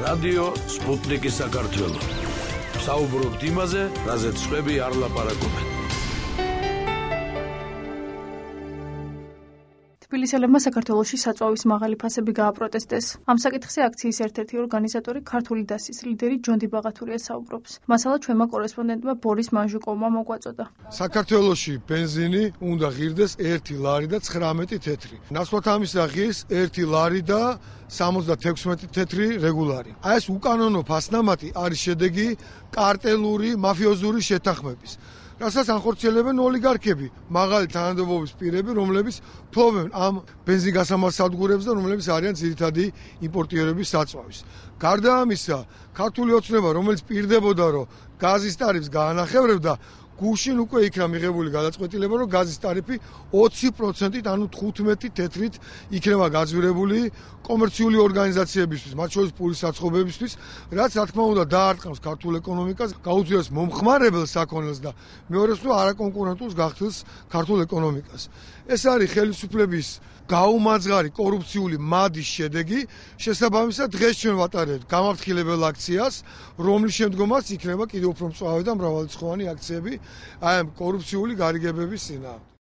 რადიო სპუტნიკი საქართველო. საუბრობთ იმაზე, რაზეც სხვები არ ლაპარაკობენ. თბილისელებმა საქართველოში საწვავის მაღალი ფასები გააპროტესტეს. ამ საკითხზე აქციის ერთ-ერთი ორგანიზატორი ქართული დასის ლიდერი ჯონდი ბაღათურია საუბრობს. მასალა ჩვენმა კორესპონდენტმა ბორის მანჟუკოვმა მოგვაწოდა. საქართველოში ბენზინი უნდა ღირდეს 1 ლარი და 19 თეთრი. ნაცვლად ამისა ღირს 1 ლარი და 76 თეთრი რეგულარი. აი ეს უკანონო ფასნამატი არის შედეგი კარტელური, მაფიოზური შეთანხმების. რასაც ანხორციელებენ ოლიგარქები, მაღალი თანამდებობის პირები, რომლებიც ფლობენ ამ ბენზინგასამართ სადგურებს და რომლებიც არიან ძირითადი იმპორტიორების საწვავის. გარდა ამისა, ქართული ოცნება, რომელიც პირდებოდა, რომ გაზის ტარიფს გაანახევრებდა, გუშინ უკვე იქნა მიღებული გადაწყვეტილება, რომ გაზის ტარიფი 20%-ით, ანუ 15 თეთრით იქნება გაძვირებული კომერციული ორგანიზაციებისთვის, მათ შორის პურის საცხობებისთვის, რაც რა თქმა უნდა დაარტყამს ქართულ ეკონომიკას, გაუძლებს მომხმარებელ საქონელს და მეორეს მხრივ არაკონკურენტულს გახდils ქართულ ეკონომიკას. ეს არის ხელისუფლების გაუმაძღარი კორუფციული მადის შედეგი, შესაბამისად დღეს ჩვენ ვატარებთ გამაფრთხილებელ აქციას, რომლის შემდგომაც იქნება კიდევ უფრო მწვავე და მრავალრიცხოვანი აქციები აი ამ კორუფციული გარიგებების წინააღმდეგ.